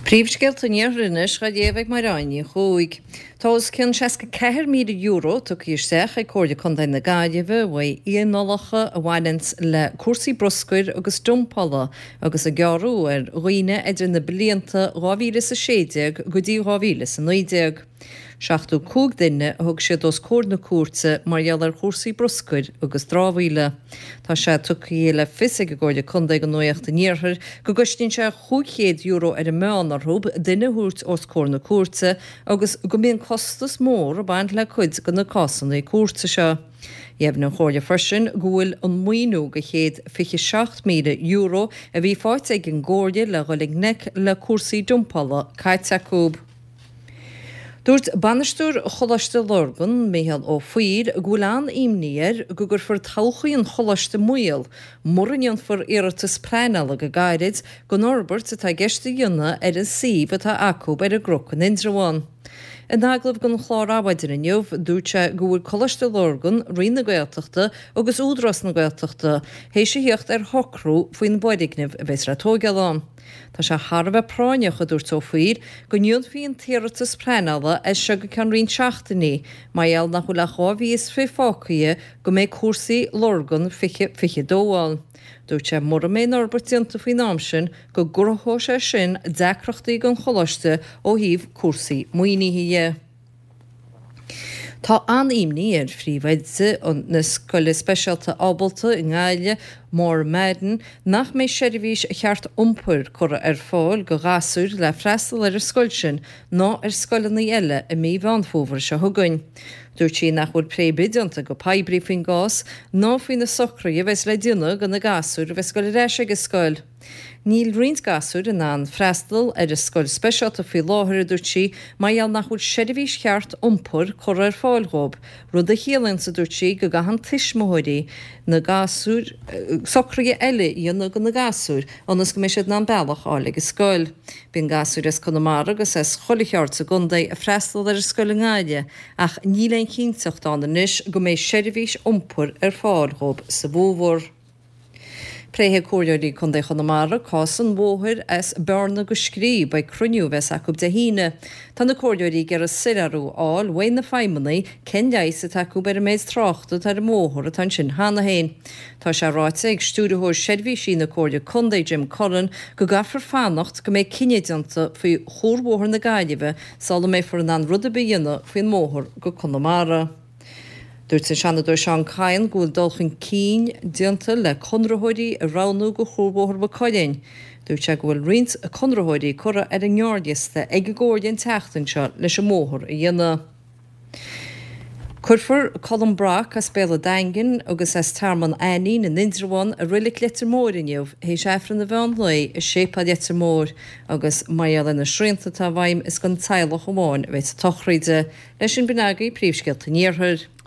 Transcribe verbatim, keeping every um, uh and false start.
Príomhscéalta an Iarthair anois á léamh ag Mairéad Ní Chuaig. Tá os cionn seasca ceathair míle euro tugtha isteach ag Comhairle Contae na Gaillimhe uaidh fhíneálacha a bhaineanns le cúrsaí bruscair agus dumpála agus a gearradh ar dhaoine idir na blianta dhá mhíle is a sé déag go dtí dhá mhíle is a naoi déag. Seachtó cúig duine a thug siad os comhair na cúirte mar gheall ar chúrsaí bruscair agus dramhaíola. Tá sé tugtha le fios ag an gComhairle Contae do Nuacht an Iarthair go gcosnaíonn sé chúig chéad euro ar an meán orthu duine a thabhairt os comhair na cúirte agus go mbíonn costas mór ag baint le cuid de na cásanna cúirte seo. Dheimhnigh an Chomhairle freisin go bhfuil an maoiniú de chéad fiche seacht míle euro a bhí faighte ag an gComhairle le dhul i ngleic le cúrsaí dumpála caite acu. Dúirt bainisteoir Choláiste Lurgan, Micheál Ó Foighil, go bhfuil an-imní air go gcuirfear todhchaí an choláiste i mbaol mura ndéanfar iarratas pleanála go gairid don fhorbairt atá i gceist a dhéanamh ar an suíomh atá acu ar an gCnoc in Indreabhán. In agallamh don chlár Adhmhaidin inniu, dúirt sé go bhfuil Coláiste Lurgan, Roinn na Gaeltachta agus Údarás na Gaeltachta théis a theacht ar shocrú faoin bhfoirgneamh a bheas le tógáil ann. Tá sé thar a bheith práinneach, a dúirt Ó Foighil, go ndéanfaí an t-iarratas pleanála as seo go ceann roinnt seachtainí mar gheall nach bhfuil ach dhá mhí is fiche fágtha go mbeidh cúrsaí Lurgan fiche fiche dó ann. Dúirt sé mura mbeidh an fhorbairt déanta faoin am sin go gcruthódh sé sin deacrachtaí don choláiste ó thaobh cúrsaí maoinithe dhe. Tá an-imní ar phríomhoide na scoile speisialta Ábalta i nGaillimh, Maura Madden, nach mbeidh seirbhís cheart iompair curtha ar fáil do ghasúir le freastal ar an scoil sin ná ar scoileanna eile i mí Mheán Fómhair seo chugainn. Dúirt sí nach bhfuil plé ar bith déanta go poiblí faoin gcás ná faoi na socruithe a bheas le déanamh do na gasúir a bheas ag dul ar ais ag an scoil. Níl roinnt gasúir in ann freastal ar an scoil speisialta faoi láthair, a dúirt sí, mar gheall nach bhfuil seirbhís cheart iompair curtha ar fáil dhóibh, rud a chiallaíonns, a dúirt sí, go gcaitheann tuismitheoirí na gasúir socruithe eile a dhéanamh do na gasúir ionas go mbeidh siad in ann bealach a fháil ag an scoil. Bíonn gasúir as Conamara agus as chuile cheard sa gcontae ag freastal ar an scoil i nGaillimh ach níl aon chinnteacht ann anois go mbeidh seirbhís iompair ar fáil dhóibh sa bhfómhar. Pléifidh Comhairleoirí Contae Chonamara cás an bhóthair as Bearna go Scríb ag cruinniú a bheas acu Dé hAoine. Tá na comhairleoirí ag iarraidh soiléiriú a fháil uaidh na feidhmeannaigh cén leigheas atá acu ar an méid tráchta atá ar an mbóthar atá ansin cheana féin. Tá sé ráite ag Stiúrthóir Seirbhísí na Comhairle Contae Jim Cullen go gcaithfear fanacht go mbeidh cinneadh déanta faoi Chuarbhóthar na Gaillimhe sula mbeifear in ann rud ar bith a dhéanamh faoin mbóthar go Conamara. Dúirt an Seanadóir Seán Kyne go bhfuil dul chun cinn déanta le conraitheoirí a roghnú do Chuarbhóthar Mhaigh Cuilinn. Dúirt sé go bhfuil roinnt conraitheoirí curtha ar an ngearrliosta ag an gComhairle an tseachtain seo leis an mbóthar a dhéanamh. Cuirfear Colm Brock as Béal an Daingin agus as Tearmann Ainnín in Indreabhán i Reilig Leitir Móir inniu théis Aifreann an mheán lae i Séipéal Leitir Móir agus mar gheall ar na srianta atá i bhfeidhm is don teaghlach amháin a bheidh sa tsochraid. Leis sin b'in agaibh príomhscéalta an Iarthair.